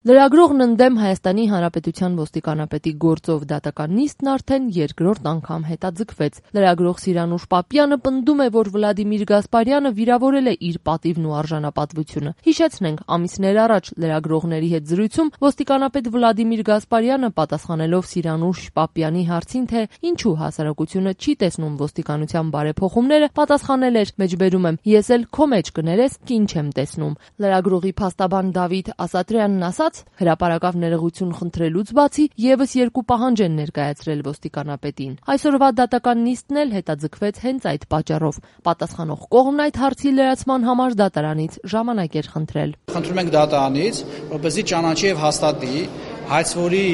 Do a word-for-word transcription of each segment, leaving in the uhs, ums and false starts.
Լրագրողն ընդդեմ Հայաստանի Հանրապետության ոստիկանապետի գործով դատական նիստն արդեն երկրորդ անգամ հետաձգվեց։ Լրագրող Սիրանուշ Պապյանը պնդում է, որ Վլադիմիր Գասպարյանը վիրավորել է իր պատիվն ու արժանապատվությունը։ Հիշեցնենք, ամիսներ առաջ լրագրողների հետ զրույցում ոստիկանապետ Վլադիմիր Գասպարյանը, պատասխանելով Սիրանուշ Պապյանի հարցին, թե ինչու հասարակությունը չի տեսնում ոստիկանության բարեփոխումները, պատասխանել էր. «Մեջբերում եմ, ես էլ քո մեջ կներես, կին չեմ տեսնում»։ Լրագրողի փաստաբան Դավիթ Ասատրյանն ասաց. «Հրապարակավ ներողություն խնդրելուց բացի եւս երկու պահանջ են ներկայացրել ոստիկանապետին։ Այսօրվա դատական նիստն էլ հետաձգվեց հենց այդ պատճառով։ Պատասխանող կողմն այդ հարցի լրացման համար դատարանից ժամանակ էր խնդրել։ Խնդրում ենք դատարանից, որպեսզի ճանաչի եւ հաստատի հայցվորի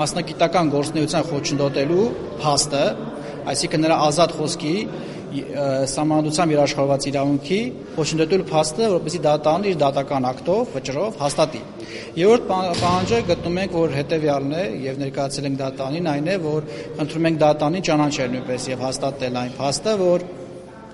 մասնագիտական գործունեության խոչընդոտելու փաստը, այսինքն նրա ազատ խոսքի Սահմանադրությամբ երաշխավորված իրավունքի խոչընդոտելու փաստը, որպեսզի դատարանը իր դատական ակտով, վճռով հաստատի։ Երրորդ պահանջը գտնում ենք, որ հետեւյալն է եւ ներկայացել ենք դատարանին, այն է, որ խնդրում ենք դատարանին ճանաչել նույնպես եւ հաստատել այն փաստը, որ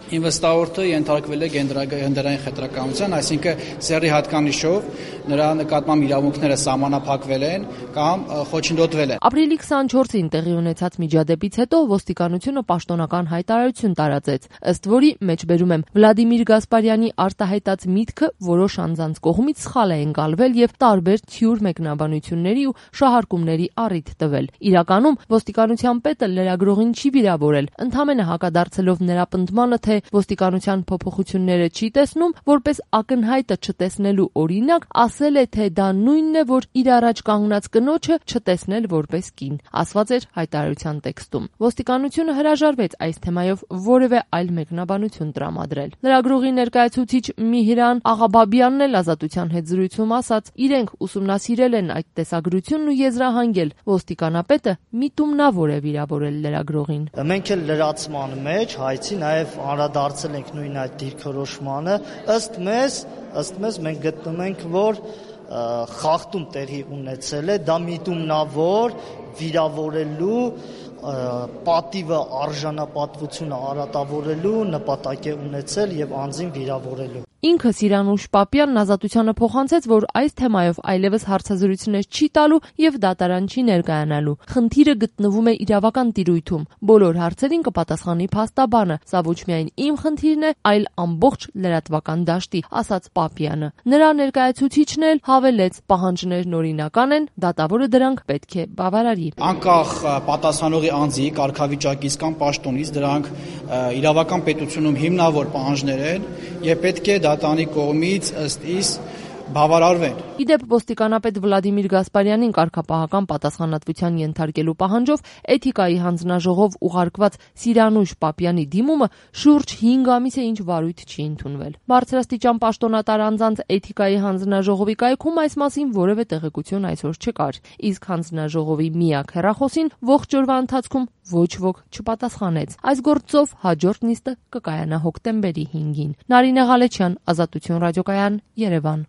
ինվեստորը ենթարկվել է գենդերային խտրականության, այսինքն սեռի հատկանիշով նրա նկատմամբ իրավունքները սահմանափակվել են կամ խոչընդոտվել են։ Ապրիլի քսանչորսին տեղի ունեցած միջադեպից հետո ոստիկանությունը պաշտոնական հայտարարություն տարածեց, ըստ որի, մեջբերում եմ, Վլադիմիր Գասպարյանի արտահայտած միտքը որոշ անձանց կողմից սխալ է ընկալվել եւ տարբեր թյուր մեկնաբանությունների ու շահարկումների առիթ տվել։ Իրականում ոստիկանության պետը լրագրողին չի վիրավորել, ընդհանրապես հակադարձելով նրա պնդմանը, թե ոստիկանության փոփոխությունները չի տեսնում, որպես ակնհայտը չտեսնելու օրինակ, ասել է, թե դա նույնն է, որ իր առաջ կանգնած կնոջը չտեսնել որպես կին, ասված էր հայտարարության տեքստում։ Ոստիկանությունը հրաժարվեց այս թեմայով որևէ այլ մեկնաբանություն տրամադրել։ Լրագրողի ներկայացուցիչ Միհրան Աղաբաբյանն էլ Ազատության հետ զրույցում ասաց, իրենք ուսումնասիրել են այդ տեսագրությունն ու եզրահանգել, ոստիկանապետը միտումնավոր է վիրավորել լրագրողին։ Մենք էլ լրացման մեջ հայցի նաև անդրադարձել ենք նույն այդ դիրքորոշմանը, ըստ մեզ, ըստ մեզ մենք գտնում ենք, որ խախտում տեղի ունեցել է, դա միտումնավոր վիրավորելու պատիվը արժանապատվությունը արատավորելու նպատակ է ունեցել եւ անձին վիրավորելու։ Ինքը Սիրանուշ Պապյանն Ազատությանը փոխանցեց, որ այս թեմայով այլևս հարցազրույցներ չի տալու եւ դատարան չի ներկայանալու։ Խնդիրը գտնվում է իրավական տիրույթում։ Բոլոր հարցերին կպատասխանի փաստաբանը։ Սա ոչ միայն իմ խնդիրն է, այլ ամբողջ լրատվական դաշտի, ասաց Պապյանը։ Նրա ներկայացուցիչն էլ հավելեց, պահանջներն օրինական են, դատավորը դրանք պետք է բավարարի։ Անկախ պատասխանողի անձի կարգավիճակից կամ պաշտոնից դրանք իրավական պետությունում հիմնավոր պահանջներ են եւ պետք է դատարանի կողմից ըստ իս բավարարվեն։ Իդեպ ոստիկանապետ Վլադիմիր Գասպարյանին կարգապահական պատասխանատվության ենթարկելու պահանջով Էթիկայի հանձնաժողով ուղարկված Սիրանուշ Պապյանի դիմումը շուրջ հինգ ամիս է ինչ վարույթ չի ընդունվել։ Բարձրաստիճան պաշտոնատար անձանց Էթիկայի հանձնաժողովի կայքում այս մասին որևէ տեղեկություն այսօր չկար, իսկ հանձնաժողովի միակ հեռախոսին ողջ օրվա ընթացքում ոչ ոք չպատասխանեց։ Այս գործով հաջորդ նիստը կկայանա հոկտեմբերի հինգին։ Նարինե Ղալեչյան, Ազատություն ռադիոկայան, Երևան։